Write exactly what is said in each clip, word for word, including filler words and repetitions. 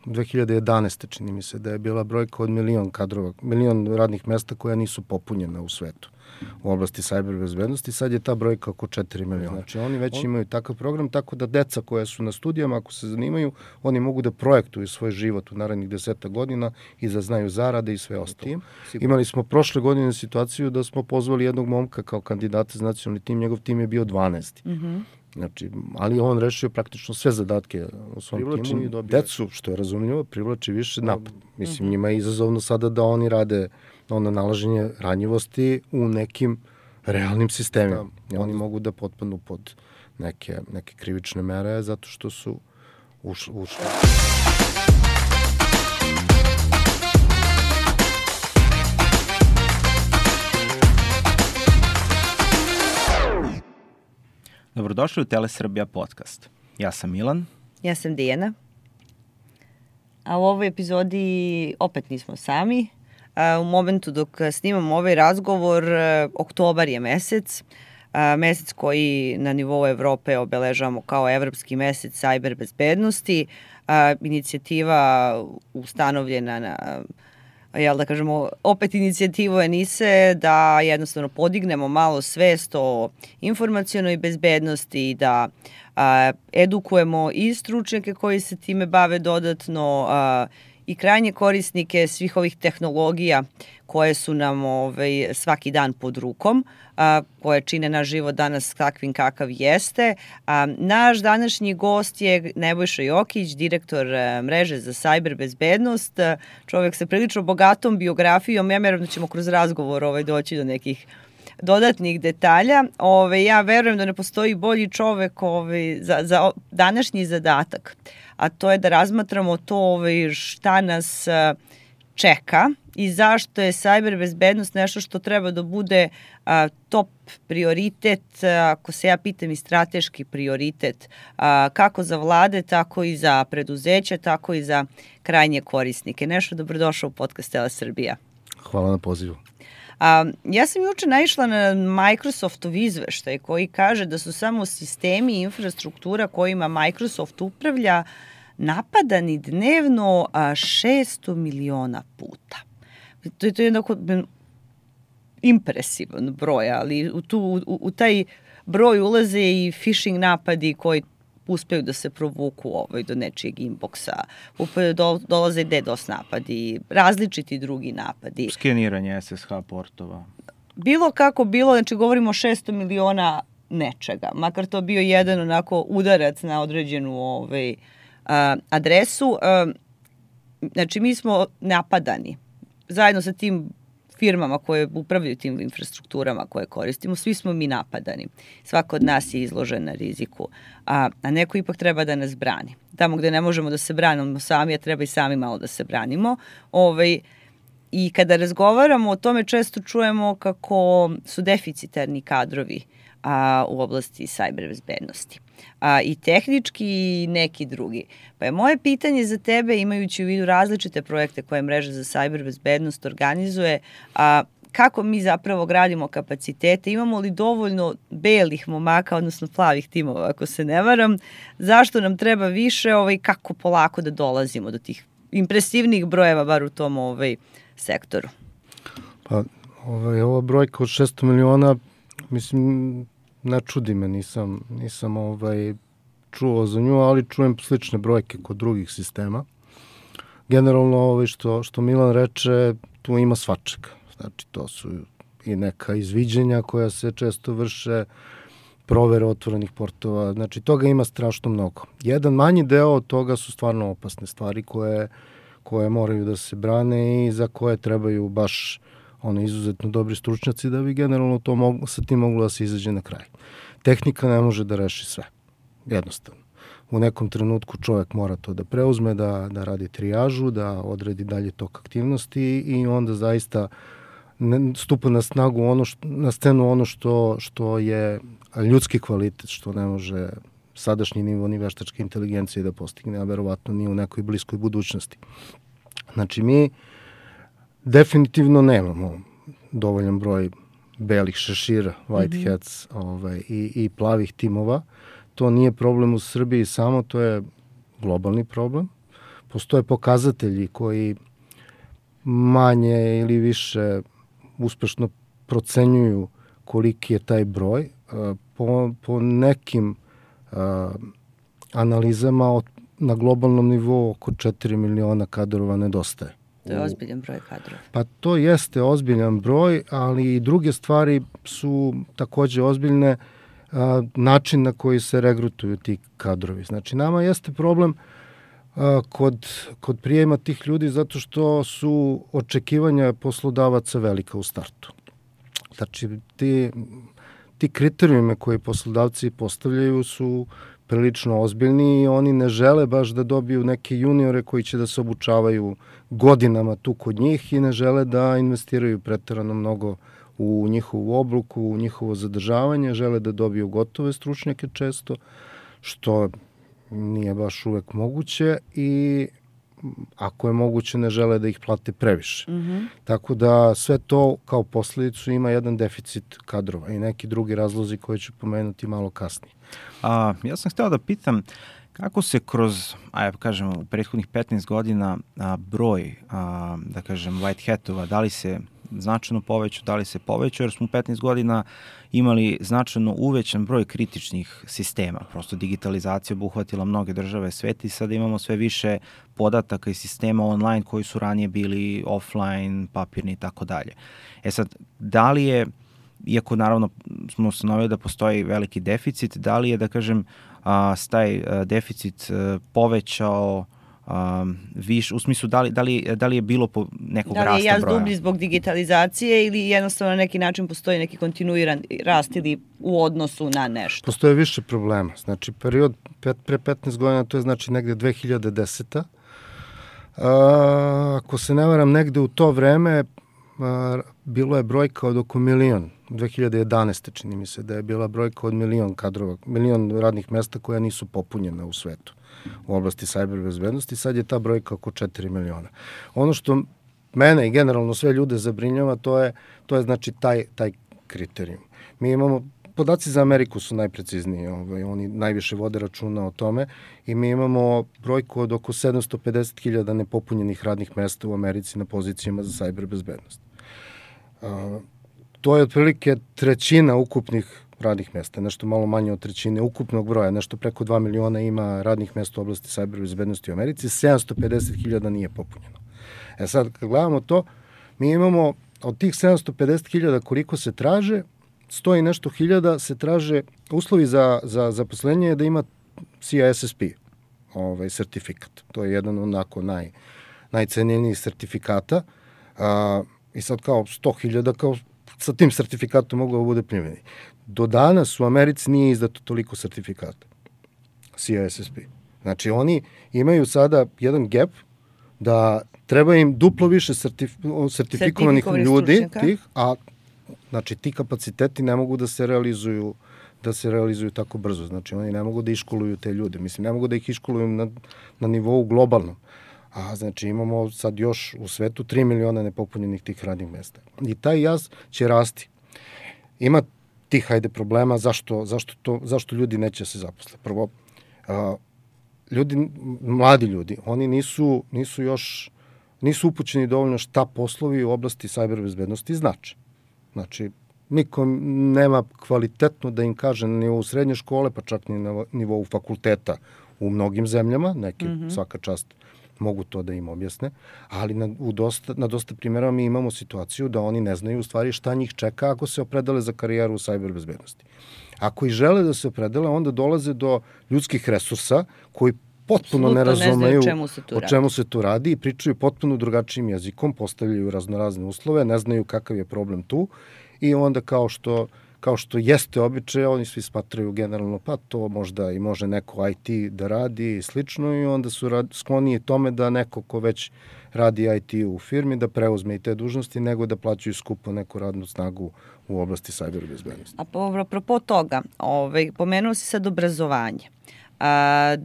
dve hiljade jedanaeste čini mi se da je bila brojka od milion kadrova, milion radnih mesta koja nisu popunjena u svetu u oblasti sajber bezbednosti. Sad je ta brojka oko četiri miliona. Znači oni već On... imaju takav program, tako da deca koja su na studijama, ako se zanimaju, oni mogu da projektuju svoj život u narednih deseta godina i da znaju zarade i sve ostalo. Imali smo prošle godine situaciju da smo pozvali jednog momka kao kandidata za nacionalni tim, njegov tim je bio dvanaesti. Mm-hmm. Znači, ali on rešio praktično sve zadatke u svom privlači timu i dobio decu, što je razumljivo, privlači više napad. Mislim, mm-hmm. njima je izazovno sada da oni rade ono nalaženje ranjivosti u nekim realnim sistemima. Da. Oni mogu da potpadnu pod neke, neke krivične mere zato što su ušli. ušli. Dobrodošli u Telesrbija podcast. Ja sam Milan. Ja sam Dijana. A u ovoj epizodi opet nismo sami. U momentu dok snimamo ovaj razgovor, oktobar je mesec, mesec koji na nivou Evrope obeležavamo kao Evropski mesec sajber bezbednosti. Inicijativa ustanovljena na, jel da kažemo, opet inicijativu ENISE da jednostavno podignemo malo svest o informacionoj bezbednosti i da a, edukujemo i stručnjake koji se time bave dodatno a, i krajnje korisnike svih ovih tehnologija koje su nam ovaj, svaki dan pod rukom, a, koje čine naš život danas takvim kakav jeste. A, naš današnji gost je Nebojša Jokić, direktor a, mreže za sajber bezbednost. A, čovjek sa prilično bogatom biografijom. Ja verujem da ćemo kroz razgovor ovaj, doći do nekih dodatnih detalja. Ove, ja verujem da ne postoji bolji čovek ove, za, za današnji zadatak, a to je da razmatramo to ove, šta nas čeka i zašto je sajber bezbednost nešto što treba da bude a, top prioritet, ako se ja pitam i strateški prioritet, a, kako za vlade, tako i za preduzeća, tako i za krajnje korisnike. Nešto, dobrodošao u podcast Telesrbija. Hvala na pozivu. A, ja sam juče naišla na Microsoftov izveštaj koji kaže da su samo sistemi i infrastruktura kojima Microsoft upravlja napadani dnevno šesto miliona puta. To je, to je jednako impresivan broj, ali u, tu, u, u taj broj ulaze i phishing napadi koji uspeju da se provuku ovaj, do nečijeg inboxa, do, dolaze i DDoS napadi, različiti drugi napadi. Skeniranje S S H portova. Bilo kako bilo, znači govorimo o šesto miliona nečega, makar to bio jedan onako udarac na određenu ovaj, a, adresu. A, znači mi smo napadani zajedno sa tim firmama koje upravljaju tim infrastrukturama koje koristimo, svi smo mi napadani. Svako od nas je izložen na riziku, a, a neko ipak treba da nas brani. Tamo gde ne možemo da se branimo sami, a treba i sami malo da se branimo. Ovaj, I kada razgovaramo o tome, često čujemo kako su deficitarni kadrovi a, u oblasti sajber bezbednosti. A, I tehnički i neki drugi. Pa je moje pitanje za tebe, imajući u vidu različite projekte koje mreža za sajber bezbednost organizuje, a, kako mi zapravo gradimo kapacitete, imamo li dovoljno belih momaka, odnosno plavih timova, ako se ne varam, zašto nam treba više, ovaj, kako polako da dolazimo do tih impresivnih brojeva, bar u tom ovaj, sektoru? Pa, ovaj, ova brojka od šesto miliona, mislim, ne čudi me, nisam, nisam ovaj, čuo za nju, ali čujem slične brojke kod drugih sistema. Generalno, ovaj, što, što Milan reče, tu ima svačega. Znači, to su i neka izviđenja koja se često vrše, provere otvorenih portova, znači toga ima strašno mnogo. Jedan manji deo od toga su stvarno opasne stvari koje, koje moraju da se brane i za koje trebaju baš ono izuzetno dobri stručnjaci da bi generalno to mogu, sa tim moglo da se izađe na kraj. Tehnika ne može da reši sve, jednostavno. U nekom trenutku čovjek mora to da preuzme, da, da radi trijažu, da odredi dalje tok aktivnosti i onda zaista ne, stupa na snagu ono što, na scenu ono što, što je ljudski kvalitet, što ne može sadašnji nivo ni veštačke inteligencije da postigne, a verovatno ni u nekoj bliskoj budućnosti. Znači mi definitivno nemamo dovoljan broj belih šešira, white mm-hmm. hats ovaj, i, i plavih timova. To nije problem u Srbiji samo, to je globalni problem. postoje pokazatelji koji manje ili više uspešno procenjuju koliki je taj broj. Po, po nekim a, analizama od, na globalnom nivou oko četiri miliona kadrova nedostaje. To je ozbiljan broj kadrova. Pa to jeste ozbiljan broj, ali i druge stvari su takođe ozbiljne, a, način na koji se regrutuju ti kadrovi. Znači, nama jeste problem a, kod, kod prijema tih ljudi zato što su očekivanja poslodavaca velika u startu. Znači, ti, ti kriterijume koje poslodavci postavljaju su prilično ozbiljni i oni ne žele baš da dobiju neke juniore koji će da se obučavaju godinama tu kod njih i ne žele da investiraju preterano mnogo u njihovu obuku, u njihovo zadržavanje, žele da dobiju gotove stručnjake često, što nije baš uvek moguće i ako je moguće ne žele da ih plate previše. Mm-hmm. Tako da sve to kao posledicu ima jedan deficit kadrova i neki drugi razlozi koje ću pomenuti malo kasnije. A, ja sam hteo da pitam kako se kroz, ajde kažem, u prethodnih petnaest godina a, broj, a, da kažem, white hatova, da li se značajno povećao, da li se povećao, jer smo u petnaest godina imali značajno uvećan broj kritičnih sistema. Prosto digitalizacija obuhvatila mnoge države sveta i sada imamo sve više podataka i sistema online koji su ranije bili offline, papirni i tako dalje. E sad, da li je, iako naravno smo ustanovili da postoji veliki deficit, da li je, da kažem, a, taj a, deficit a, povećao Um, viš, u smislu da li, da, li, da li je bilo po nekog rasta broja? Da li je jaz dublji zbog digitalizacije ili jednostavno na neki način postoji neki kontinuiran rast ili u odnosu na nešto? Postoje više problema. Znači, period pet, pre petnaest godina, to je znači negde dve hiljade deseta. A, ako se ne varam, negde u to vreme a, bilo je brojka od oko milion. dve hiljade jedanaeste čini mi se da je bila brojka od milion kadrova, milion radnih mesta koja nisu popunjena u svetu u oblasti cyber bezbednosti, sad je ta brojka oko četiri miliona. Ono što mene i generalno sve ljude zabrinjava, to je, to je znači taj, taj kriterijum. Mi imamo, podaci za Ameriku su najprecizniji, ovaj, oni najviše vode računa o tome i mi imamo brojku od oko sedamsto pedeset hiljada nepopunjenih radnih mesta u Americi na pozicijama za cyber bezbednost. Uh, to je otprilike trećina ukupnih radnih mesta, nešto malo manje od trećine ukupnog broja, nešto preko dva miliona ima radnih mesta u oblasti cyber bezbednosti u Americi, sedamsto pedeset hiljada nije popunjeno. E sad, kad gledamo to, mi imamo od tih sedamsto pedeset hiljada koliko se traže, sto i nešto hiljada se traže, uslovi za, za zaposlenje je da ima C I S S P, ovaj, sertifikat. To je jedan onako naj, najcenjenijih sertifikata. A, I sad kao sto hiljada, kao sa tim sertifikatom moglo da bude primjeni. Do danas u Americi nije izdato toliko sertifikata C I S S P. Znači oni imaju sada jedan gap da treba im duplo više sertif, sertifikovanih ljudi, tih, a znači ti kapaciteti ne mogu da se realizuju da se realizuju tako brzo. Znači oni ne mogu da iškoluju te ljude. Mislim, ne mogu da ih iškoluju na, na nivou globalnom. A znači imamo sad još u svetu tri miliona nepopunjenih tih radnih mesta. I taj jaz će rasti. Ima tih, hajde, problema zašto, zašto, to, zašto ljudi neće se zaposle. Prvo, a, ljudi, mladi ljudi, oni nisu, nisu još, nisu upućeni dovoljno šta poslovi u oblasti cyber bezbednosti znači. Znači, niko nema kvalitetno da im kaže na nivou srednje škole, pa čak ni na nivou fakulteta u mnogim zemljama, neke mm-hmm. svaka čast mogu to da im objasne, ali na, u dosta, na dosta primjera mi imamo situaciju da oni ne znaju u stvari šta njih čeka ako se opredele za karijeru u cyber bezbednosti. Ako i žele da se opredele, onda dolaze do ljudskih resursa koji potpuno Sluto ne razumeju ne čemu o čemu se tu radi i pričaju potpuno drugačijim jezikom, postavljaju raznorazne uslove, ne znaju kakav je problem tu i onda kao što kao što jeste običaj, oni svi smatraju generalno, pa to možda i može neko I T da radi i slično i onda su rad, skloniji tome da neko ko već radi I T u firmi da preuzme i te dužnosti nego da plaćaju skupo neku radnu snagu u oblasti cyber bezbednosti. A apropo toga, ovaj, pomenuo si sad obrazovanje. A,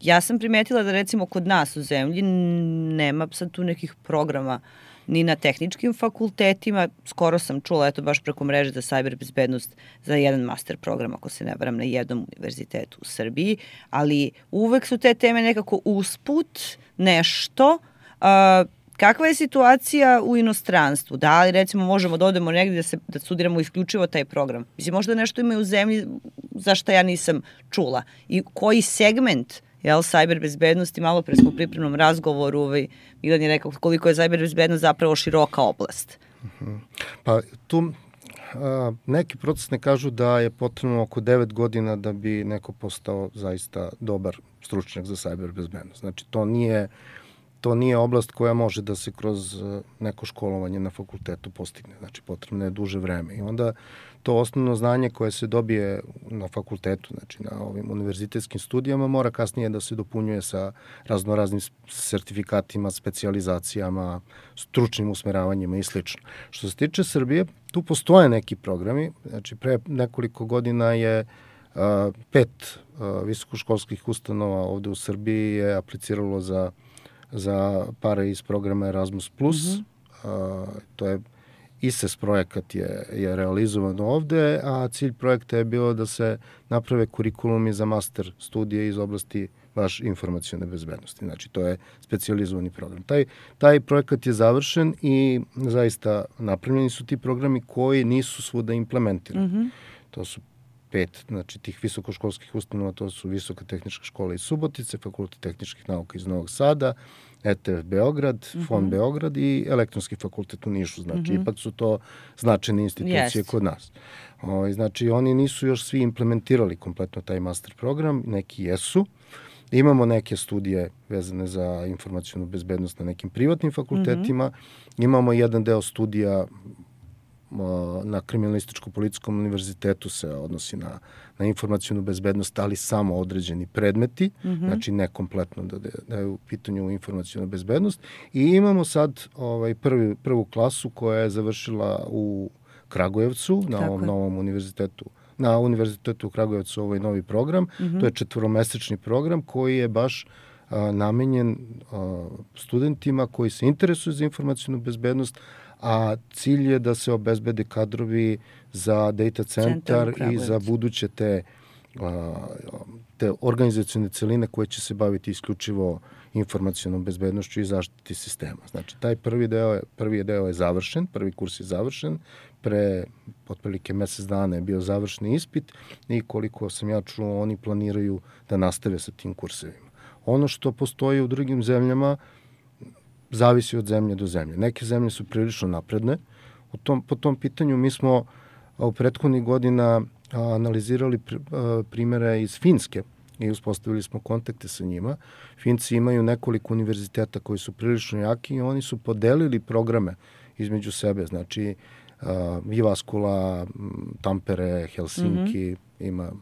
ja sam primetila da recimo kod nas u zemlji nema sad tu nekih programa ni na tehničkim fakultetima. Skoro sam čula, eto baš preko mreže za cyber bezbednost za jedan master program, ako se ne varam, na jednom univerzitetu u Srbiji, ali uvek su te teme nekako usput nešto. Uh, kakva je situacija u inostranstvu? Da li recimo možemo da odemo negdje da, se, da studiramo isključivo taj program? Mislim, možda nešto ima u zemlji za šta ja nisam čula. I koji segment jel, cyber bezbednosti, malo pre smo u pripremnom razgovoru, ovaj, Milan je rekao koliko je cyber bezbednost zapravo široka oblast. Uh-huh. Pa tu a, neki procesne kažu da je potrebno oko devet godina da bi neko postao zaista dobar stručnjak za cyber bezbednost. Znači to nije To nije oblast koja može da se kroz neko školovanje na fakultetu postigne. Znači, potrebno je duže vreme. I onda to osnovno znanje koje se dobije na fakultetu, znači na ovim univerzitetskim studijama, mora kasnije da se dopunjuje sa raznoraznim sertifikatima, specijalizacijama, stručnim usmeravanjima i sl. Što se tiče Srbije, tu postoje neki programi. Znači, pre nekoliko godina je uh, pet uh, visokoškolskih ustanova ovde u Srbiji je apliciralo za za pare iz programa Erasmus plus. Mm-hmm. Uh, to je I S E S projekat je, je realizovan ovde, a cilj projekta je bilo da se naprave kurikulumi za master studije iz oblasti baš informacione bezbednosti. Znači, to je specijalizovani program. Taj, taj projekat je završen i zaista napravljeni su ti programi koji nisu svuda implementirani. Mm-hmm. To su pet, znači tih visokoškolskih ustanova, to su Visoka tehnička škola iz Subotice, Fakultet tehničkih nauka iz Novog Sada, E T F Beograd, mm-hmm. Fon Beograd i Elektronski fakultet u Nišu. Znači, mm-hmm. ipak su to značajne institucije yes. kod nas. O, znači, oni nisu još svi implementirali kompletno taj master program, neki jesu. Imamo neke studije vezane za informacionu bezbednost na nekim privatnim fakultetima. Mm-hmm. Imamo jedan deo studija na Kriminalističko-policijskom univerzitetu se odnosi na, na informacijnu bezbednost, ali samo određeni predmeti, mm-hmm. znači ne kompletno da, da je u pitanju informacijna bezbednost. I imamo sad ovaj, prvi, prvu klasu koja je završila u Kragujevcu, na Tako ovom je. novom univerzitetu. Na univerzitetu u Kragujevcu ovaj novi program. Mm-hmm. To je četvoromesečni program koji je baš a, namenjen a, studentima koji se interesuju za informacijnu bezbednost, a cilj je da se obezbede kadrovi za data centar i za buduće te, te organizacione celine koje će se baviti isključivo informacionom bezbednošću i zaštiti sistema. Znači, taj prvi deo je, prvi deo je završen, prvi kurs je završen, pre otprilike mesec dana je bio završni ispit i koliko sam ja čuo, oni planiraju da nastave sa tim kursevima. Ono što postoji u drugim zemljama zavisi od zemlje do zemlje. Neke zemlje su prilično napredne. U tom, po tom pitanju mi smo u prethodnih godina analizirali primere iz Finske i uspostavili smo kontakte sa njima. Finci imaju nekoliko univerziteta koji su prilično jaki i oni su podelili programe između sebe. Znači, Jyväskylä, Tampere, Helsinki, mm-hmm. ima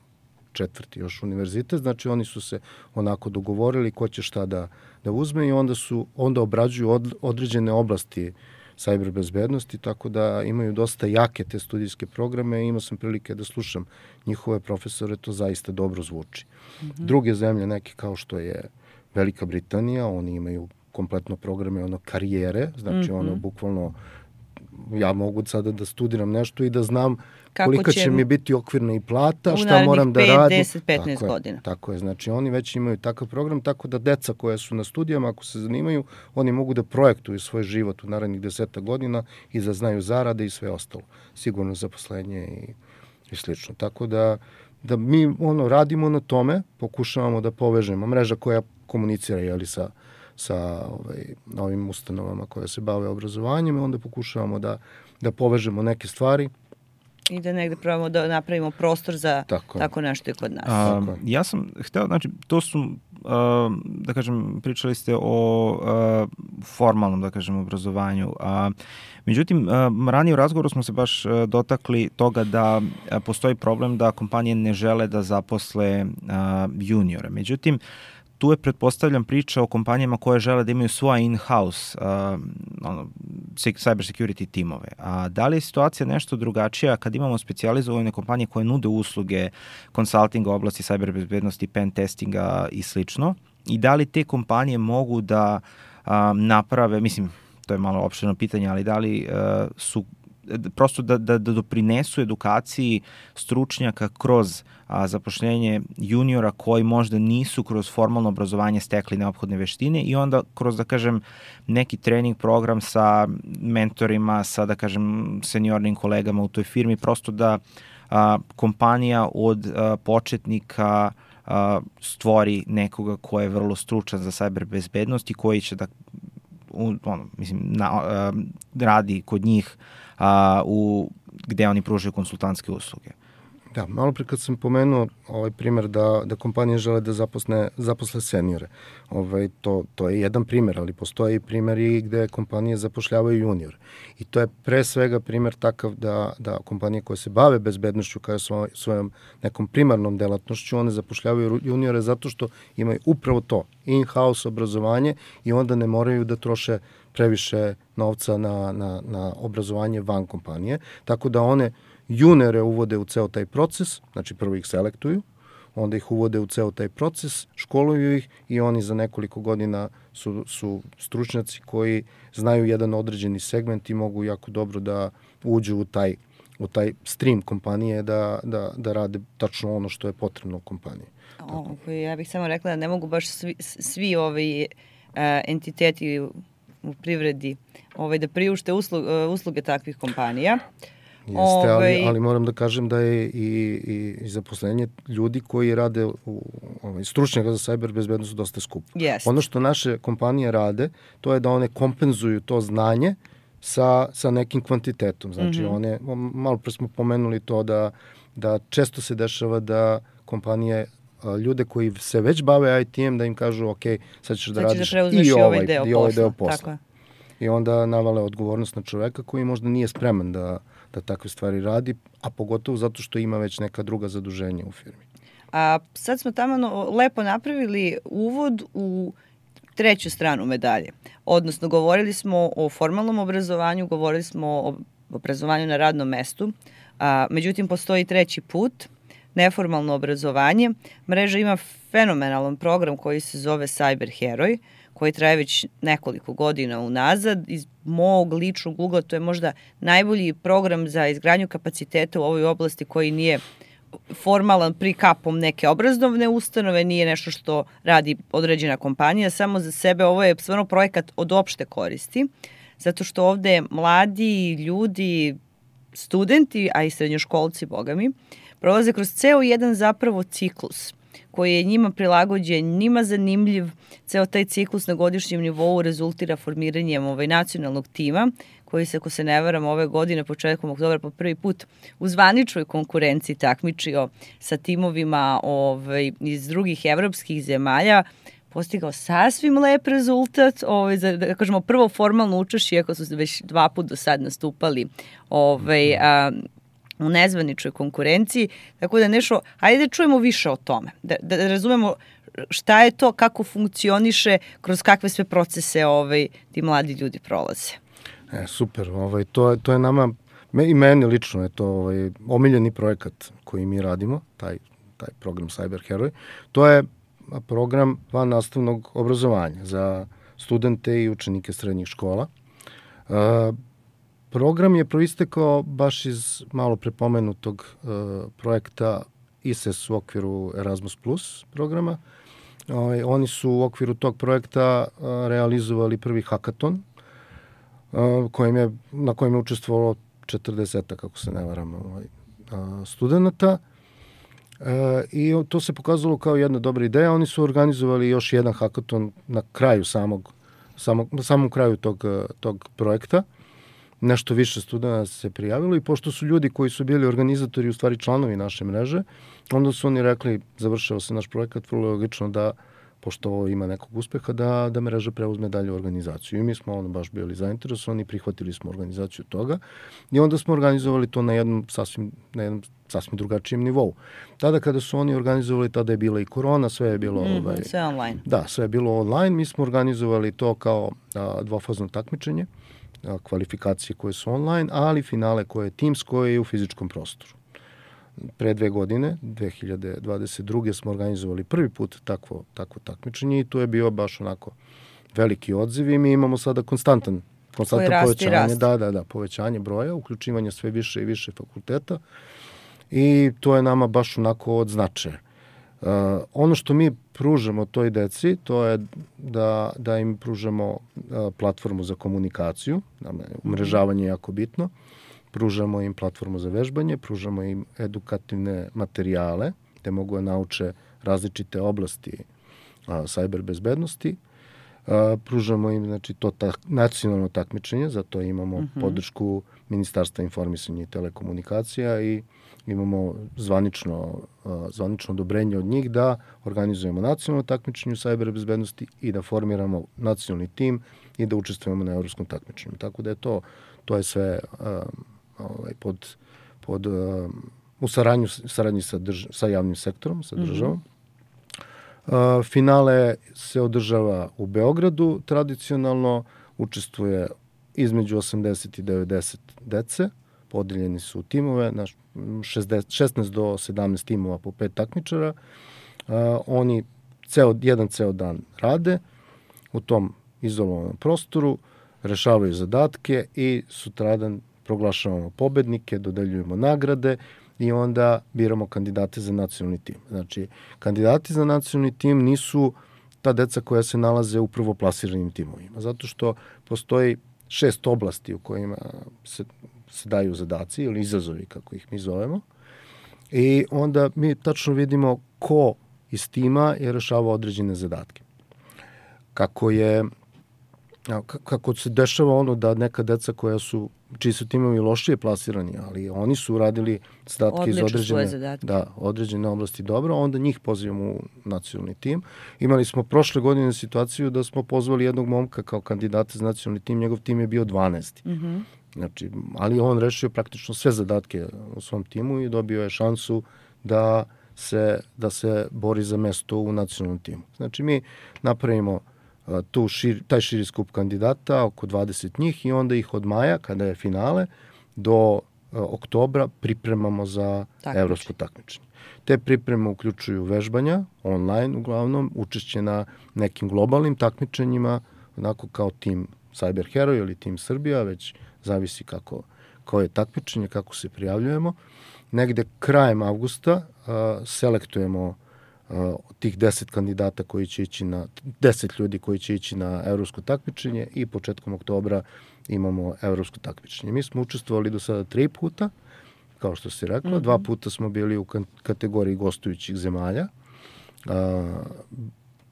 četvrti još univerzitet, znači oni su se onako dogovorili ko će šta da, da uzme i onda su onda obrađuju od, određene oblasti cyber bezbednosti, tako da imaju dosta jake te studijske programe i imao sam prilike da slušam njihove profesore, to zaista dobro zvuči. Mm-hmm. Druge zemlje, neke kao što je Velika Britanija, oni imaju kompletno programe ono karijere, znači mm-hmm. ono bukvalno ja mogu sada da studiram nešto i da znam kako kolika će, će mi biti okvirna i plata, šta moram da radim. pet, deset, petnaest tako godina. Je, tako je, znači oni već imaju takav program, tako da deca koja su na studijama, ako se zanimaju, oni mogu da projektuju svoj život u narednih deseta godina i da znaju zarade i sve ostalo. Sigurno zaposlenje i, i slično. Tako da, da mi ono radimo na tome, pokušavamo da povežemo mreža koja komunicira jeli, sa sa ovaj, ovim ustanovama koje se bave obrazovanjem i onda pokušavamo da, da povežemo neke stvari. I da negde probamo da napravimo prostor za tako, tako nešto i kod nas. A, ja sam hteo, znači, to su, a, da kažem, pričali ste o a, formalnom, da kažem, obrazovanju. A, međutim, a, ranije u razgovoru smo se baš a, dotakli toga da a, postoji problem da kompanije ne žele da zaposle a, juniore. Međutim, tu je, pretpostavljam, priča o kompanijama koje žele da imaju svoja in-house uh, ono, cyber security timove. A da li je situacija nešto drugačija kad imamo specijalizovane kompanije koje nude usluge consultinga u oblasti cyber bezbednosti, pen testinga i slično? I da li te kompanije mogu da a, naprave, mislim, to je malo opširno pitanje, ali da li a, su prosto da, da, da doprinesu edukaciji stručnjaka kroz a, zapošljenje juniora koji možda nisu kroz formalno obrazovanje stekli neophodne veštine i onda kroz, da kažem, neki trening program sa mentorima, sa, da kažem, seniornim kolegama u toj firmi, prosto da a, kompanija od a, početnika a, stvori nekoga ko je vrlo stručan za cyber bezbednost i koji će da u, ono, mislim, na, a, radi kod njih a, u, gde oni pružaju konsultantske usluge. Da, malo pre kad sam pomenuo ovaj primer da, da kompanije žele da zaposle, zaposle seniore, ovaj, to, to je jedan primer, ali postoji primer i gde kompanije zapošljavaju junior. I to je pre svega primer takav da, da kompanije koje se bave bezbednošću kao svoj, svojom nekom primarnom delatnošću, one zapošljavaju juniore zato što imaju upravo to, in-house obrazovanje i onda ne moraju da troše previše novca na, na, na obrazovanje van kompanije, tako da one juniore uvode u ceo taj proces, znači prvo ih selektuju, onda ih uvode u ceo taj proces, školuju ih i oni za nekoliko godina su, su stručnjaci koji znaju jedan određeni segment i mogu jako dobro da uđu u taj, u taj stream kompanije da, da, da rade tačno ono što je potrebno u kompaniji. O, ja bih samo rekla da ne mogu baš svi, svi ovi uh, entiteti u, u privredi ovaj, da priušte usluge, usluge takvih kompanija. Jeste, ali, ali moram da kažem da je i, i, i zaposlenje ljudi koji rade u ovaj, stručnjaka za cyber bezbednost dosta skupo. Yes. Ono što naše kompanije rade, to je da one kompenzuju to znanje sa, sa nekim kvantitetom. Znači, mm-hmm. one, malo pre smo pomenuli to da, da često se dešava da kompanije ljude koji se već bave I T-em da im kažu ok, sad ćeš da sad radiš da i ovaj deo, i ovaj deo posla. Tako. I onda navale odgovornost na čoveka koji možda nije spreman da da takve stvari radi, a pogotovo zato što ima već neka druga zaduženja u firmi. A sad smo tamo lepo napravili uvod u treću stranu medalje. Odnosno, govorili smo o formalnom obrazovanju, govorili smo o obrazovanju na radnom mestu, a, međutim, postoji treći put, neformalno obrazovanje. Mreža ima fenomenalan program koji se zove Cyber Heroj, koji traje već nekoliko godina unazad. Iz mog ličnog ugla to je možda najbolji program za izgradnju kapaciteta u ovoj oblasti koji nije formalan pri kapom neke obrazovne ustanove, nije nešto što radi određena kompanija, samo za sebe ovo je stvarno projekat od opšte koristi, zato što ovde mladi ljudi, studenti, a i srednjoškolci, boga mi, prolaze kroz ceo jedan zapravo ciklus koji je njima prilagođen, njima zanimljiv. Ceo taj ciklus na godišnjem nivou rezultira formiranjem ovaj nacionalnog tima, koji se, ako se ne varam, ove godine, početkom oktobra, po prvi put u zvaničnoj konkurenciji takmičio sa timovima ovaj, iz drugih evropskih zemalja, postigao sasvim lep rezultat, ovaj, za, da kažemo, prvo formalno učešće, iako su već dva put do sad nastupali ovaj, a, u nezvaničnoj konkurenciji, tako da nešto, hajde da čujemo više o tome, da, da razumemo šta je to, kako funkcioniše, kroz kakve sve procese ovaj, ti mladi ljudi prolaze. E, super, ovaj, to, je, to je nama, me, i meni lično je to ovaj, omiljeni projekat koji mi radimo, taj, taj program Cyber Heroj. To je program van nastavnog obrazovanja za studente i učenike srednjih škola. E, program je proistekao baš iz malo prepomenutog e, projekta I S E S u okviru Erasmus plus programa. E, oni su u okviru tog projekta e, realizovali prvi hakaton, Kojim je, na kojem je učestvovalo četrdeset, kako se ne varam, ovaj, studenta. E, I to se pokazalo kao jedna dobra ideja. Oni su organizovali još jedan hakaton na kraju samog, samog, na samom kraju tog, tog projekta. Nešto više studenta se prijavilo i pošto su ljudi koji su bili organizatori, u stvari članovi naše mreže, onda su oni rekli, završao se naš projekat, vrlo logično da pošto ovo ima nekog uspeha, da, da mreža preuzme dalje organizaciju. I mi smo ono baš bili zainteresovani, prihvatili smo organizaciju toga i onda smo organizovali to na jednom sasvim, na jednom sasvim drugačijem nivou. Tada kada su oni organizovali, tada je bila i korona, sve je bilo... Mm, ovaj, sve online. Da, sve je bilo online. Mi smo organizovali to kao a, dvofazno takmičenje a, kvalifikacije koje su online, ali finale koje je timsko i u fizičkom prostoru. Pre dve godine, dve hiljade dvadeset druge smo organizovali prvi put takvo, takvo takmičenje i to je bio baš onako veliki odziv i mi imamo sada konstantan, konstantno povećanje, da, da, da, povećanje broja, uključivanje sve više i više fakulteta i to je nama baš onako od značaja. Uh, ono što mi pružamo toj deci, to je da, da im pružamo uh, platformu za komunikaciju, umrežavanje je jako bitno, pružamo im platformu za vežbanje, pružamo im edukativne materijale, gde mogu da nauče različite oblasti a, cyber bezbednosti, a, pružamo im znači, to ta, nacionalno takmičenje, zato imamo mm-hmm. podršku Ministarstva informisanja i telekomunikacija i imamo zvanično, a, zvanično odobrenje od njih da organizujemo nacionalno takmičenje u cyber bezbednosti i da formiramo nacionalni tim i da učestvujemo na evropskom takmičenju. Tako da je to, to je sve a, ovaj, pod, pod, uh, u saradnju, saradnji sa, drž, sa javnim sektorom, sa državom. Mm-hmm. Uh, finale se održava u Beogradu tradicionalno, učestvuje između osamdeset i devedeset dece, podeljeni su u timove, na šezdeset, šesnaest do sedamnaest timova po pet takmičara. Uh, oni ceo, jedan ceo dan rade u tom izolovanom prostoru, rešavaju zadatke i sutradan proglašavamo pobednike, dodeljujemo nagrade i onda biramo kandidate za nacionalni tim. Znači, kandidati za nacionalni tim nisu ta deca koja se nalaze u prvoplasiranim timovima, zato što postoji šest oblasti u kojima se, se daju zadaci ili izazovi, kako ih mi zovemo, i onda mi tačno vidimo ko iz tima je rešavao određene zadatke. Kako je kako se dešava ono da neka deca koja su, čiji su timovi lošije plasirani, ali oni su radili zadatke iz određene, da, određene oblasti dobro, onda njih pozivamo u nacionalni tim. Imali smo prošle godine situaciju da smo pozvali jednog momka kao kandidata za nacionalni tim, njegov tim je bio dvanaesti. Mm-hmm. Znači, ali on rešio praktično sve zadatke u svom timu i dobio je šansu da se, da se bori za mesto u nacionalnom timu. Znači, mi napravimo tu šir, taj širi skup kandidata, oko dvadeset njih i onda ih od maja, kada je finale, do uh, oktobra pripremamo za Takmiči. evropsko takmičenje. Te pripreme uključuju vežbanja, online uglavnom, učešće na nekim globalnim takmičenjima, onako kao tim Cyber Hero ili tim Srbija, već zavisi kako, kao je takmičenje, kako se prijavljujemo. Negde krajem avgusta uh, selektujemo Uh, tih deset kandidata koji će ići na, deset ljudi koji će ići na evropsko takmičenje i početkom oktobra imamo evropsko takmičenje. Mi smo učestvovali do sada tri puta, kao što si rekla, mm-hmm. dva puta smo bili u kategoriji gostujućih zemalja. Uh,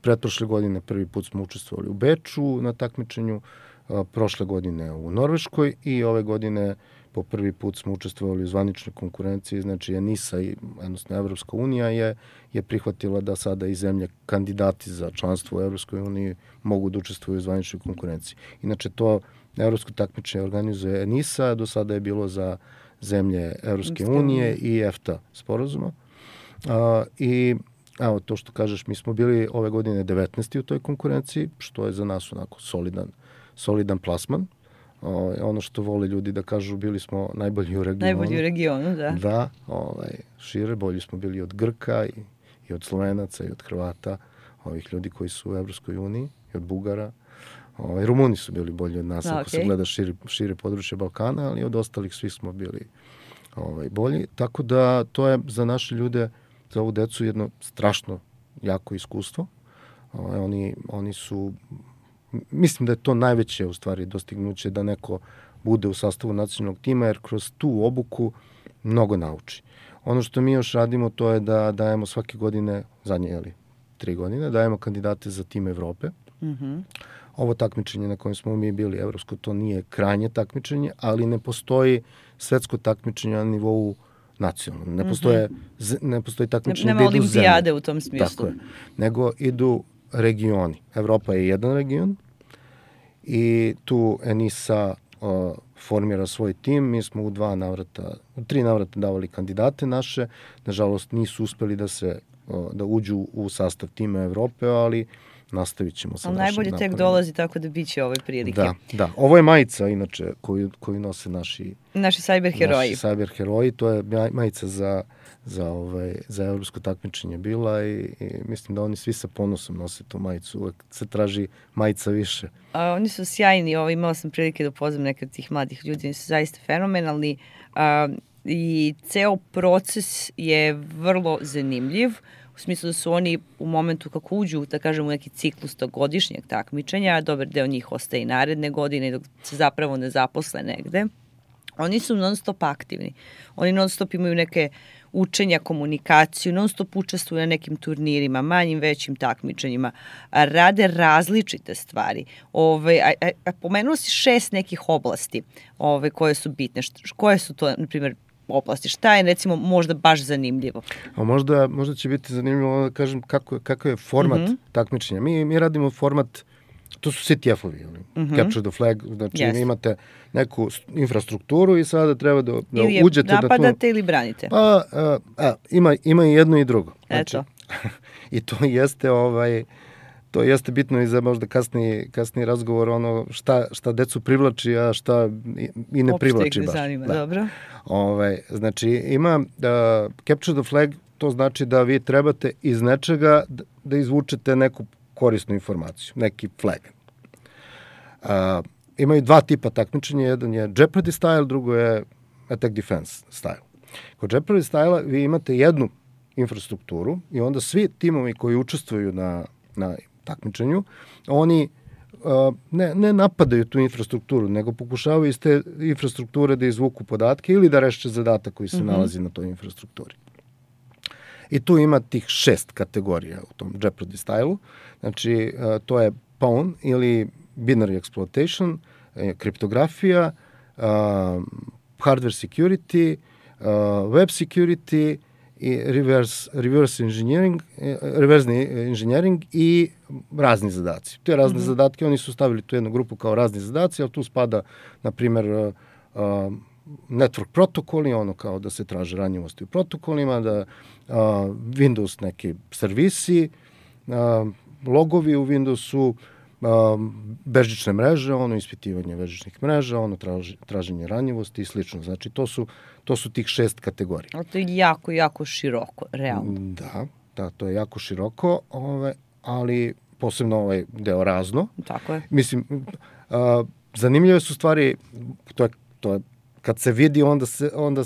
pretprošle godine prvi put smo učestvovali u Beču na takmičenju, uh, prošle godine u Norveškoj i ove godine po prvi put smo učestvovali u zvaničnoj konkurenciji, znači ENISA, i, odnosno Evropska unija je, je prihvatila da sada i zemlje kandidati za članstvo u Evropskoj uniji mogu da učestvuju u zvaničnoj konkurenciji. Inače, to evropsko takmičenje organizuje ENISA, do sada je bilo za zemlje Evropske unije i EFTA sporazuma. A, I evo, to što kažeš, mi smo bili ove godine devetnaesti u toj konkurenciji, što je za nas onako solidan, solidan plasman. O, ono što vole ljudi da kažu, bili smo najbolji u regionu. Najbolji u regionu, da. Da, ovaj, šire, bolji smo bili od Grka i, i od Slovenaca i od Hrvata, ovih ljudi koji su u Evropskoj uniji, i od Bugara. Ovaj, Rumuni su bili bolji od nas, da, ako okay. se gleda šire, šire područje Balkana, ali od ostalih svi smo bili ovaj, bolji. Tako da to je za naše ljude, za ovu decu, jedno strašno jako iskustvo. Ovaj, oni, oni su... Mislim da je to najveće u stvari dostignuće da neko bude u sastavu nacionalnog tima, jer kroz tu obuku mnogo nauči. Ono što mi još radimo, to je da dajemo svake godine, zadnje, jeli, tri godine, dajemo kandidate za tim Evrope. Mm-hmm. Ovo takmičenje na kojem smo mi bili evropsko, to nije krajnje takmičenje, ali ne postoji svetsko takmičenje na nivou nacionalno. Ne postoje, mm-hmm. ne postoji takmičenje ne, da idu zemlje. Nema olimpijade u tom smislu. Tako je. Nego idu regioni. Evropa je jedan region i tu ENISA uh, formira svoj tim. Mi smo u dva navrata, u tri navrata davali kandidate naše. Nažalost, nisu uspeli da se uh, da uđu u sastav tima Evrope, ali nastavit ćemo sa našim našim naporima. Najbolje tek dolazi, tako da bit će ove prilike. Da, da. Ovo je majica, inače, koju, koju nose naši... Naši cyber heroji. Naši cyber heroji, to je majica za, za, ovaj, za evropsko takmičenje bila i, i mislim da oni svi sa ponosom nose tu majicu. Uvek se traži majica više. A, oni su sjajni, ovo, imala sam prilike da upoznam neke od tih mladih ljudi, oni su zaista fenomenalni. A, i ceo proces je vrlo zanimljiv, u smislu da su oni u momentu kako uđu, da kažem, u neki ciklus tog godišnjeg takmičenja, dobar deo njih ostaje i naredne godine dok se zapravo ne zaposle negde. Oni su non stop aktivni. Oni non stop imaju neke učenja, komunikaciju, non stop učestvuju na nekim turnirima, manjim, većim takmičenjima, rade različite stvari. Ove, a, a, a pomenuo si šest nekih oblasti ove, koje su bitne. Št, koje su to, na primjer, oblasti? Šta je, recimo, možda baš zanimljivo? A možda, možda će biti zanimljivo da kažem kako, kako je format mm-hmm. takmičenja. Mi, mi radimo format, to su C T F-ovi, mm-hmm. Capture the Flag, znači yes. imate neku infrastrukturu i sada treba da, da ili uđete da tu... Ili napadate ili branite. Pa, a, a, ima, ima i jedno i drugo. Znači, eto. I to jeste ovaj... To jeste bitno i za možda kasniji, kasniji razgovor, ono šta, šta decu privlači, a šta i, i ne Opšte privlači ih ne baš. zanima, da. Dobro. Ove, znači, ima uh, Capture the Flag, to znači da vi trebate iz nečega da, da izvučete neku korisnu informaciju, neki flag. Uh, imaju dva tipa takmičenja, jedan je Jeopardy style, drugo je Attack Defense style. Kod Jeopardy style vi imate jednu infrastrukturu i onda svi timovi koji učestvuju na, na takmičenju, oni uh, ne, ne napadaju tu infrastrukturu, nego pokušavaju iz te infrastrukture da izvuku podatke ili da reše zadatak koji se mm-hmm. nalazi na toj infrastrukturi. I tu ima tih šest kategorija u tom Jeopardy stylu. Znači, uh, to je pawn ili binary exploitation, eh, kriptografija, uh, hardware security, uh, web security, i reverse, reverse engineering, reverzni engineering i razni zadaci. Te razne mm-hmm. zadatke, oni su stavili tu jednu grupu kao razni zadaci, ali tu spada, na primjer, uh, uh, network protokoli, ono kao da se traže ranjivosti u protokolima, da uh, Windows neki servisi, uh, logovi u Windowsu, uh, bežične mreže, ono ispitivanje bežičnih mreža, ono traži, traženje ranjivosti i slično. Znači, to su To su tih šest kategorija. Ali to je jako, jako široko, realno. Da, da, to je jako široko, ove, ali posebno ovaj deo razno. Tako je. Mislim, a, zanimljive su stvari, to je, to je, kad se vidi, onda, se, onda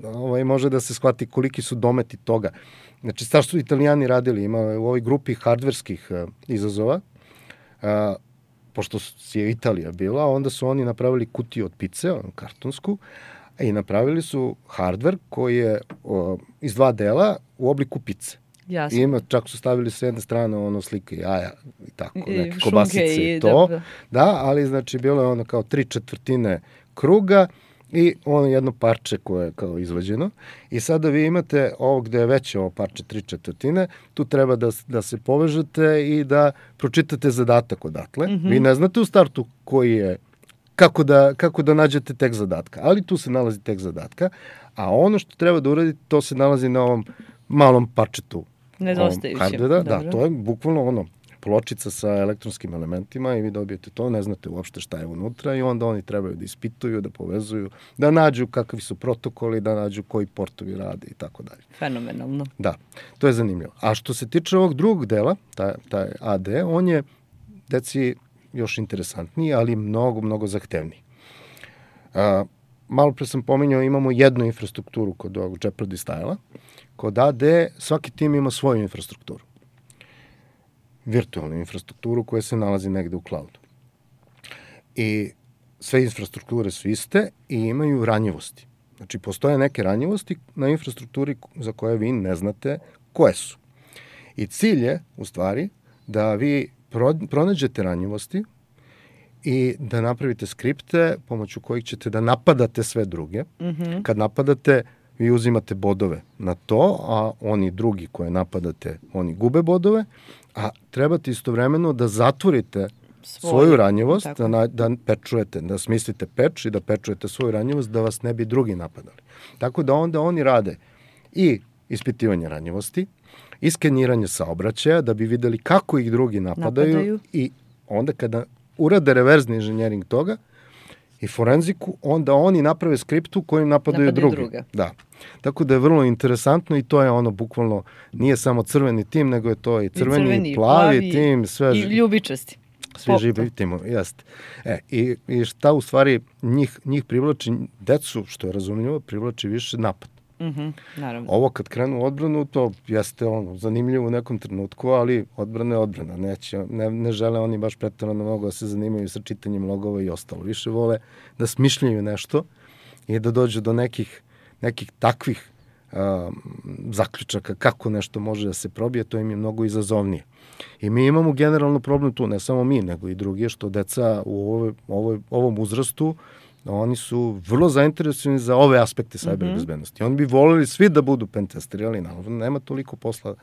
ovaj, može da se shvati koliki su dometi toga. Znači, šta su Italijani radili? Ima u ovoj grupi hardverskih a, izazova, a, pošto je Italija bila, onda su oni napravili kutiju od pice, kartonsku, i napravili su hardware koji je o, iz dva dela u obliku pice. Jasno. I ima, čak su stavili s jedne strane ono slike jaja i tako, I, neke kobasice i to. Da, da, ali znači bilo je ono kao tri četvrtine kruga i ono jedno parče koje je kao izvađeno. I sada vi imate ovo gde je veće ovo parče tri četvrtine, tu treba da, da se povežete i da pročitate zadatak odatle. Mm-hmm. Vi ne znate u startu koji je Kako da, kako da nađete tekst zadatka. Ali tu se nalazi tekst zadatka, a ono što treba da uradite, to se nalazi na ovom malom parčetu. Nedostajućem. Da, to je bukvalno ono, pločica sa elektronskim elementima i vi dobijete to, ne znate uopšte šta je unutra i onda oni trebaju da ispituju, da povezuju, da nađu kakvi su protokoli, da nađu koji portovi rade i tako dalje. Fenomenalno. Da, to je zanimljivo. A što se tiče ovog drugog dela, taj, taj A D, on je, deci, još interesantniji, ali mnogo, mnogo zahtevniji. A, malo pre sam pominjao, imamo jednu infrastrukturu kod ovog Jeopardy style-a. Kod A D svaki tim ima svoju infrastrukturu. Virtualnu infrastrukturu koja se nalazi negde u cloudu. I sve infrastrukture su iste i imaju ranjivosti. Znači, postoje neke ranjivosti na infrastrukturi za koje vi ne znate koje su. I cilj je, u stvari, da vi pronađete ranjivosti i da napravite skripte pomoću kojih ćete da napadate sve druge. Mm-hmm. Kad napadate, vi uzimate bodove na to, a oni drugi koje napadate, oni gube bodove, a trebate istovremeno da zatvorite Svoj, svoju ranjivost, da, da pečujete, da smislite peč i da pečujete svoju ranjivost da vas ne bi drugi napadali. Tako da onda oni rade i ispitivanje ranjivosti, i skeniranje saobraćaja da bi videli kako ih drugi napadaju, napadaju. I onda kada urade reverzni inženjering toga i forenziku, onda oni naprave skriptu kojim napadaju, napadaju drugi. Druge. Da. Tako da je vrlo interesantno i to je ono bukvalno, nije samo crveni tim, nego je to i crveni, I, crveni, i plavi, plavi tim, sve. I ljubičasti. Svi živi timovi, jeste. E, i, i šta u stvari njih, njih privlači, decu, što je razumljivo, privlači više napad. Mm-hmm, naravno. Ovo kad krenu odbranu, to jeste ono, zanimljivo u nekom trenutku, ali odbrana je odbrana. Neće, ne, ne žele oni baš pretarano mnogo da se zanimaju sa čitanjem logova i ostalo. Više vole da smišljaju nešto i da dođu do nekih, nekih takvih a, zaključaka kako nešto može da se probije, to im je mnogo izazovnije. I mi imamo generalno problem tu, ne samo mi, nego i drugi, što deca u ovoj, ovoj, ovom uzrastu, oni su vrlo zainteresovani za ove aspekte cyber mm-hmm. bezbednosti. Oni bi volili svi da budu pentesteri, ali naravno nema toliko posla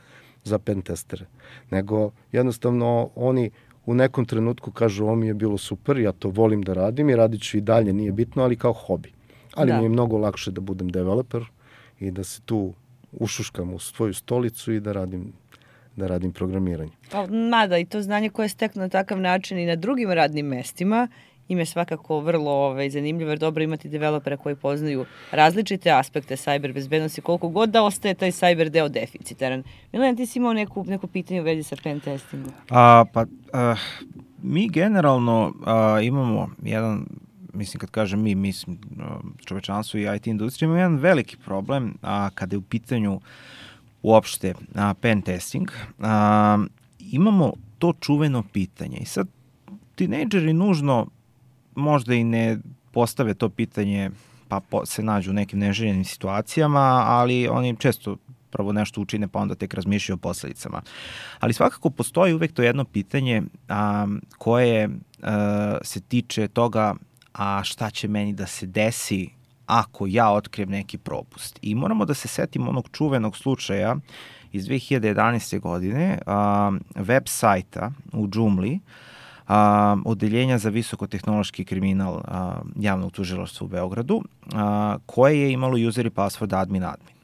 za pentestere. Nego jednostavno oni u nekom trenutku kažu ovo mi je bilo super, ja to volim da radim i radit ću i dalje, nije bitno, ali kao hobi. Ali da. Mi je mnogo lakše da budem developer i da se tu ušuškam u svoju stolicu i da radim da radim programiranje. Mada i to znanje koje je stekno na takav način i na drugim radnim mestima im je svakako vrlo ovaj, zanimljivo, jer dobro imati developera koji poznaju različite aspekte cyber bezbednosti, koliko god da ostaje taj cyber deo deficitaran. Milan, ti si imao neku, neko pitanje u vezi sa pen testingom? A, pa, a, mi generalno a, imamo jedan, mislim kad kažem mi, mislim čovečanstvo i I T industrija, imamo jedan veliki problem a, kada je u pitanju uopšte a, pen testing. A, imamo to čuveno pitanje i sad tinejdžeri nužno možda i ne postave to pitanje pa po, se nađu u nekim neželjenim situacijama, ali oni često prvo nešto učine pa onda tek razmišljaju o posledicama. Ali svakako postoji uvek to jedno pitanje a, koje a, se tiče toga a šta će meni da se desi ako ja otkrijem neki propust. I moramo da se setimo onog čuvenog slučaja iz dve hiljade jedanaeste. godine, a, web sajta u Joomla, a, odeljenja za visokotehnološki kriminal a, javnog tužilaštva u Beogradu, a, koje je imalo user i password admin admin.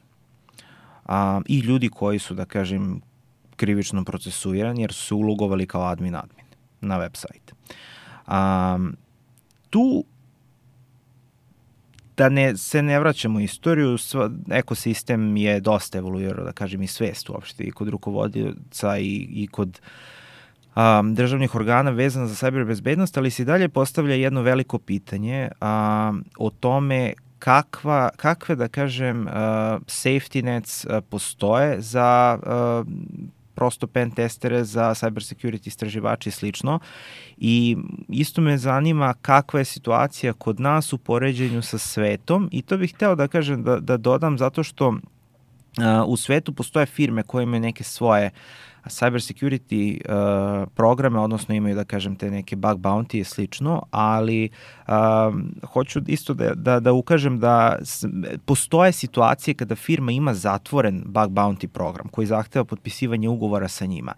A, I ljudi koji su, da kažem, krivično procesuirani jer su se ulogovali kao admin admin na web sajt. A, tu da ne, se ne vraćamo u istoriju, sva, ekosistem je dosta evoluirao, da kažem, i svest uopšte, i kod rukovodioca i, i kod um, državnih organa vezano za cyber bezbednost, ali se dalje postavlja jedno veliko pitanje um, o tome kakva, kakve, da kažem, uh, safety nets uh, postoje za uh, prosto pen testere, za cyber security istraživači i slično. I isto me zanima kakva je situacija kod nas u poređenju sa svetom i to bih hteo da kažem, da, da dodam zato što uh, u svetu postoje firme koje imaju neke svoje cyber security uh, programe, odnosno imaju, da kažem, te neke bug bounty i slično, ali um, hoću isto da, da, da ukažem da s, postoje situacije kada firma ima zatvoren bug bounty program koji zahteva potpisivanje ugovora sa njima.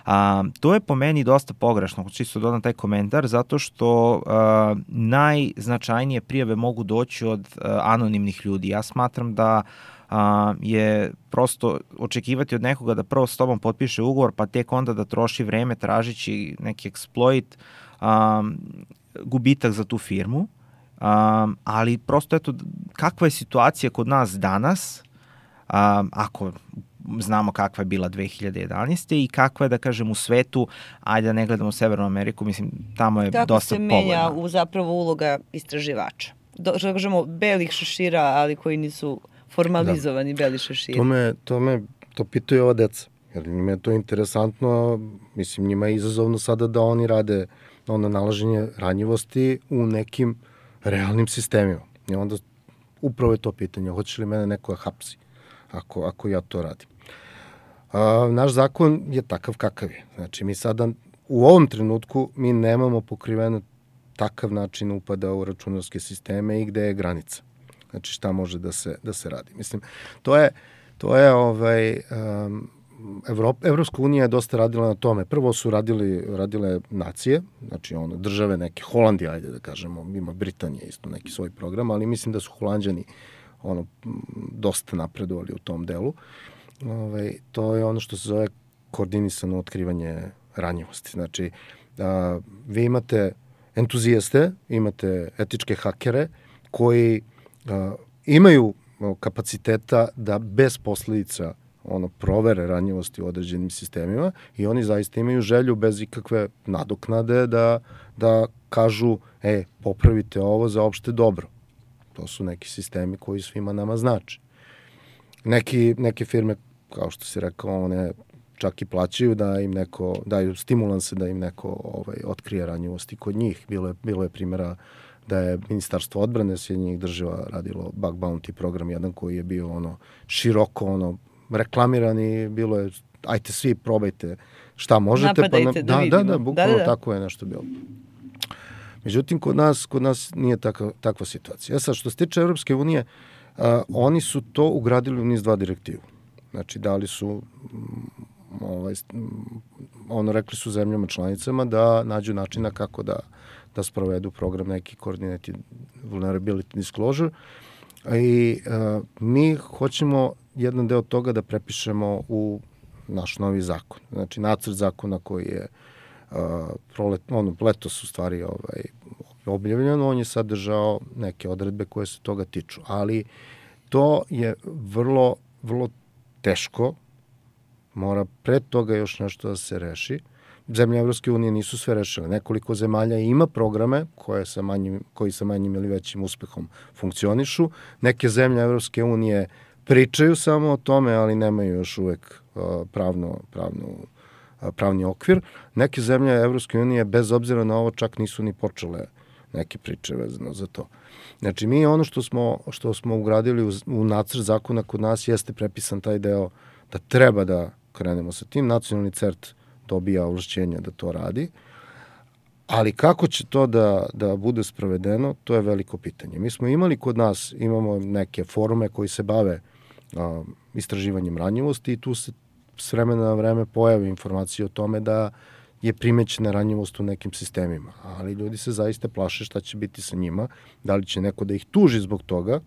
Um, to je po meni dosta pogrešno, hoću isto dodam taj komentar, zato što uh, najznačajnije prijave mogu doći od uh, anonimnih ljudi. Ja smatram da Uh, je prosto očekivati od nekoga da prvo s tobom potpiše ugovor, pa tek onda da troši vreme tražići neki exploit, um, gubitak za tu firmu. Um, ali prosto eto, kakva je situacija kod nas danas, um, ako znamo kakva je bila dve hiljade jedanaeste. i kakva je, da kažem, u svetu, ajde da ne gledamo Severnu Ameriku, mislim, tamo je Tako dosta povoljno. Tako se menja u zapravo uloga istraživača. Do, što kažemo, belih šešira, ali koji nisu formalizovani da. Beli šeširi. To me, to me, to pitaju ova deca, jer njima je to interesantno, mislim, njima je izazovno sada da oni rade ono nalaženje ranjivosti u nekim realnim sistemima. I onda upravo je to pitanje, hoće li mene neko hapsi ako, ako ja to radim. A, naš zakon je takav kakav je. Znači, mi sada u ovom trenutku mi nemamo pokriveno takav način upada u računarske sisteme i gde je granica. Znači šta može da se, da se radi. Mislim, to je, to je ovaj, um, Evropa, Evropska unija je dosta radila na tome. Prvo su radili, radile nacije, znači ono, države neke, Holandija, ajde da kažemo, ima Britanija isto neki svoj program, ali mislim da su Holanđani ono, dosta napredovali u tom delu. ovaj, to je ono što se zove koordinisano otkrivanje ranjivosti. Znači, a, vi imate entuzijaste, imate etičke hakere koji a, imaju kapaciteta da bez posledica ono provere ranjivosti u određenim sistemima i oni zaista imaju želju bez ikakve nadoknade da, da kažu, e, popravite ovo za opšte dobro. To su neki sistemi koji svima nama znači. Neki, neke firme, kao što si rekao, one čak i plaćaju da im neko, daju stimulanse da im neko ovaj, otkrije ranjivosti kod njih. Bilo je, bilo je primjera da je Ministarstvo odbrane Sjedinjenih država radilo bug bounty program jedan koji je bio ono široko ono reklamiran i bilo je ajte svi probajte šta možete. Napadajte pa na, da, da, da, da, bukvalno da, da. tako je nešto bilo. Međutim, kod nas, kod nas nije takva, takva situacija. Ja sad, što se tiče Evropske unije, a, oni su to ugradili u niz dva direktivu. Znači, dali su, m, ovaj, m, ono, rekli su zemljama članicama da nađu načina kako da, da sprovedu program neki Coordinated Vulnerability Disclosure i a, mi hoćemo jedan deo toga da prepišemo u naš novi zakon. Znači, nacrt zakona koji je Uh, prolet, ono, letos u stvari ovaj, objavljeno, on je sadržao neke odredbe koje se toga tiču, ali to je vrlo, vrlo teško, mora pred toga još nešto da se reši. Zemlje Evropske unije nisu sve rešile, nekoliko zemalja ima programe koje sa manjim, koji sa manjim ili većim uspehom funkcionišu, neke zemlje Evropske unije pričaju samo o tome, ali nemaju još uvek uh, pravno, pravnu pravni okvir. Neke zemlje Evropske unije, bez obzira na ovo, čak nisu ni počele neke priče vezano za to. Znači, mi ono što smo, što smo ugradili u, u nacrt zakona kod nas jeste prepisan taj deo da treba da krenemo sa tim. Nacionalni cert dobija ovlašćenja da to radi, ali kako će to da, da bude sprovedeno, to je veliko pitanje. Mi smo imali kod nas, imamo neke forume koji se bave a, istraživanjem ranjivosti i tu se s vremena na vreme pojavi informacije o tome da je primećena ranjivost u nekim sistemima, ali ljudi se zaista plaše šta će biti sa njima, da li će neko da ih tuži zbog toga,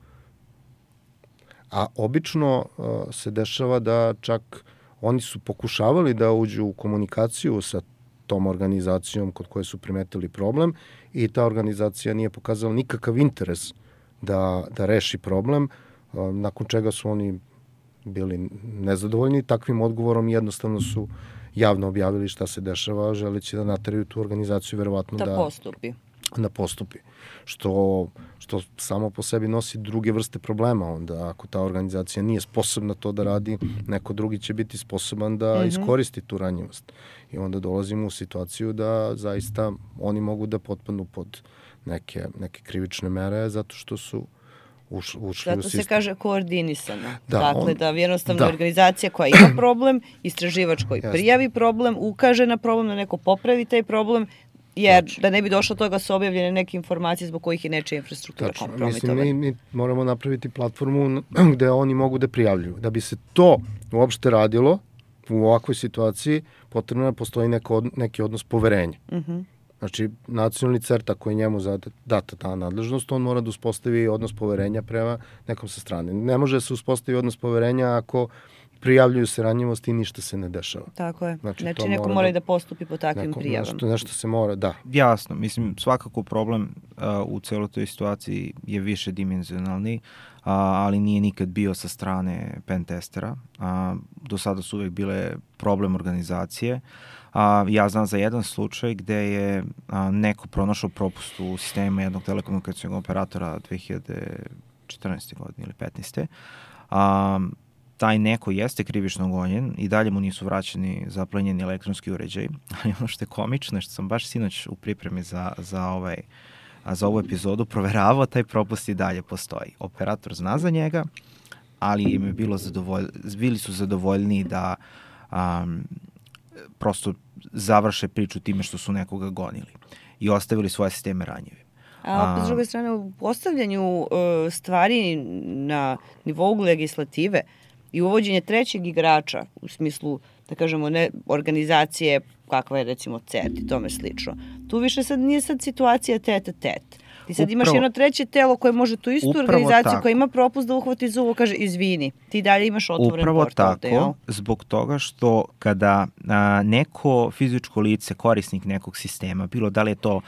a obično uh, se dešava da čak oni su pokušavali da uđu u komunikaciju sa tom organizacijom kod koje su primetili problem i ta organizacija nije pokazala nikakav interes da, da reši problem, uh, nakon čega su oni bili nezadovoljni takvim odgovorom i jednostavno su javno objavili šta se dešava, želeći da nateraju tu organizaciju verovatno da, da postupi. Da postupi. Što, što samo po sebi nosi druge vrste problema. Onda ako ta organizacija nije sposobna to da radi, neko drugi će biti sposoban da mm-hmm. iskoristi tu ranjivost. I onda dolazimo u situaciju da zaista oni mogu da potpadnu pod neke, neke krivične mere zato što su Uš, ušli Zato u sistem. se kaže koordinisano. Da, dakle, on, da jednostavno da. organizacija koja ima problem, istraživač koji Jasne. prijavi problem, ukaže na problem, da neko popravi taj problem, jer znači, da ne bi došlo toga su objavljene neke informacije zbog kojih je nečija infrastruktura kompromitovana. Mislim, mi, mi moramo napraviti platformu gde oni mogu da prijavljuju. Da bi se to uopšte radilo u ovakvoj situaciji, potrebno je da postoji neko, neki odnos poverenja. Mhm. Znači, nacionalni cert, ako je njemu data ta nadležnost, on mora da uspostavi odnos poverenja prema nekom sa strane. Ne može da se uspostavi odnos poverenja ako prijavljuju se ranjivosti i ništa se ne dešava. Tako je. Znači, znači neko mora i da postupi po takvim neko, prijavama. Nešto, nešto se mora, da. Jasno, mislim, svakako problem uh, u celoj toj situaciji je više dimenzionalni, uh, ali nije nikad bio sa strane pentestera. Uh, do sada su uvek bile problem organizacije. A, ja znam za jedan slučaj gde je a, neko pronašao propust u sistemu jednog telekomunikacijnog operatora dve hiljade četrnaeste. godine ili petnaeste. A, taj neko jeste krivično gonjen i dalje mu nisu vraćeni zaplenjeni elektronski uređaj. Ali ono što je komično, što sam baš sinoć u pripremi za, za, ovaj, a za ovu epizodu proveravao, taj propust i dalje postoji. Operator zna za njega, ali im je bilo zadovolj, bili su zadovoljni da um, prosto završe priču time što su nekoga gonili i ostavili svoje sisteme ranjive. A opet s druge strane, u postavljanju uh, stvari na nivou legislative i uvođenje trećeg igrača, u smislu, da kažemo, ne organizacije kakva je recimo C E R T i tome slično, tu više sad nije sad situacija tet a tet. Ti sad imaš jedno treće telo koje može tu istu organizaciju koja ima propust da uhvati za uvo, kaže izvini, ti dalje imaš otvoren upravo portal. Upravo tako, ovde, zbog toga što kada a, neko fizičko lice, korisnik nekog sistema, bilo da li je to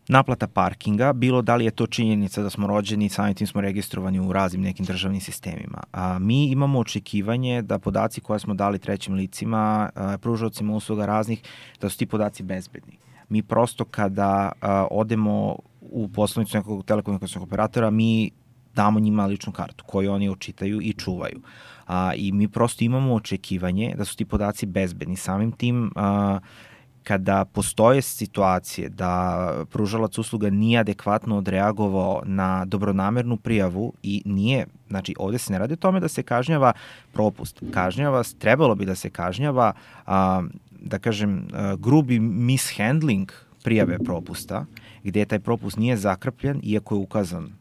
naplata parkinga, bilo da li je to činjenica da smo rođeni, samim tim smo registrovani u raznim nekim državnim sistemima. A, mi imamo očekivanje da podaci koje smo dali trećim licima, a, pružaocima usluga raznih, da su ti podaci bezbedni. Mi prosto kada a, odemo u poslovnicu nekog telekomunikacijnog operatora, mi damo njima ličnu kartu koju oni očitaju i čuvaju. A, I mi prosto imamo očekivanje da su ti podaci bezbedni. Samim tim, a, kada postoje situacije da pružalac usluga nije adekvatno odreagovao na dobronamernu prijavu i nije, znači ovde se ne radi o tome da se kažnjava propust, kažnjava, trebalo bi da se kažnjava, a, da kažem, a, grubi mishandling prijave propusta, gde taj propust nije zakrpljen, iako je ukazan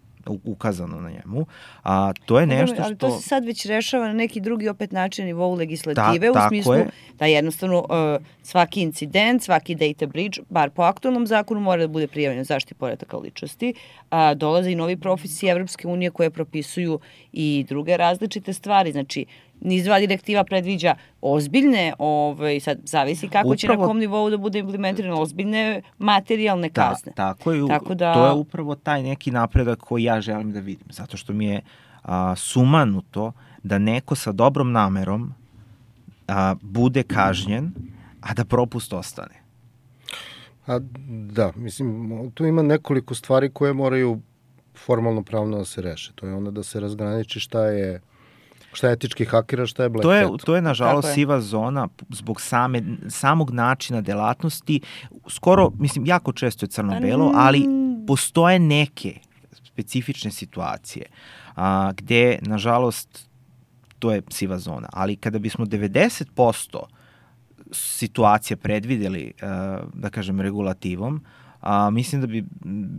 ukazano na njemu, a to je nešto što... Ali to se sad već rešava na neki drugi opet način nivou legislative, Ta, u smislu je. da jednostavno uh, svaki incident, svaki data breach, bar po aktualnom zakonu, mora da bude prijavljen zaštiti podataka ličnosti, a dolaze i novi propisi Evropske unije koje propisuju i druge različite stvari, znači niz dva direktiva predviđa ozbiljne, ovaj, sad zavisi kako upravo, će na kom nivou da bude implementirano, ozbiljne materijalne kazne. Ta, tako je, tako da, to je upravo taj neki napredak koji ja želim da vidim, zato što mi je a, sumanuto da neko sa dobrom namerom a, bude kažnjen, a da propust ostane. A, da, mislim, tu ima nekoliko stvari koje moraju formalno pravno da se reše. To je onda da se razgraniči šta je šta je etički hakera, šta je black to je, hat. To je, nažalost, je. siva zona zbog same, samog načina delatnosti. Skoro, mislim, jako često je crno-belo, ali postoje neke specifične situacije a, gde, nažalost, to je siva zona. Ali kada bismo devedeset posto situacija predvideli, a, da kažem, regulativom, a, mislim da bi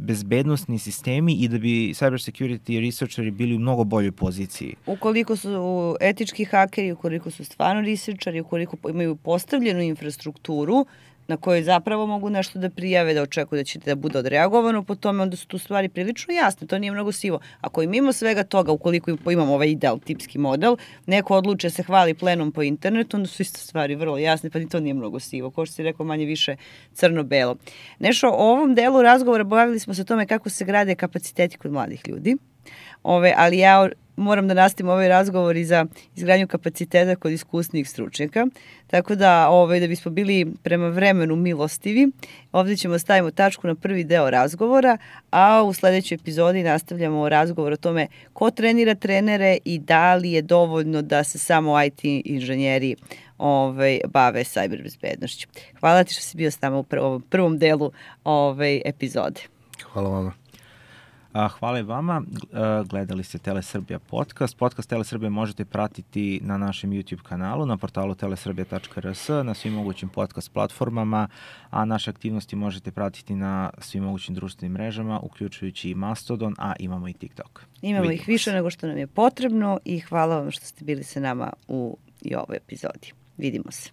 bezbednostni sistemi i da bi cyber security researcheri bili u mnogo boljoj poziciji. Ukoliko su etički hakeri, ukoliko su stvarno researcheri, ukoliko imaju postavljenu infrastrukturu na kojoj zapravo mogu nešto da prijave, da očekuju da će da bude odreagovano po tome, onda su tu stvari prilično jasne, to nije mnogo sivo. Ako im mimo svega toga, ukoliko imamo ovaj ideal, tipski model, neko odluče se hvali plenom po internetu, onda su isto stvari vrlo jasne, pa ni to nije mnogo sivo, kao što si rekao, manje više crno-belo. Nešto, o ovom delu razgovora bavili smo se o tome kako se grade kapaciteti kod mladih ljudi, Ove, ali ja moram da nastavim ovaj razgovor i za izgradnju kapaciteta kod iskusnijih stručnjaka. Tako da, ovaj, da bismo bili prema vremenu milostivi, ovdje ćemo stavimo tačku na prvi deo razgovora, a u sledećoj epizodi nastavljamo razgovor o tome ko trenira trenere i da li je dovoljno da se samo I T inženjeri ovaj, bave cyber bezbednošću. Hvala ti što si bio s nama u prvom, prvom delu ovaj, epizode. Hvala vama. Hvala i vama. Gledali ste Telesrbija podcast. Podcast Telesrbija možete pratiti na našem YouTube kanalu, na portalu telesrbija tačka r s, na svim mogućim podcast platformama, a naše aktivnosti možete pratiti na svim mogućim društvenim mrežama, uključujući i Mastodon, a imamo i TikTok. Imamo Vidimo ih više se. nego što nam je potrebno i hvala vam što ste bili sa nama u i ovoj epizodi. Vidimo se.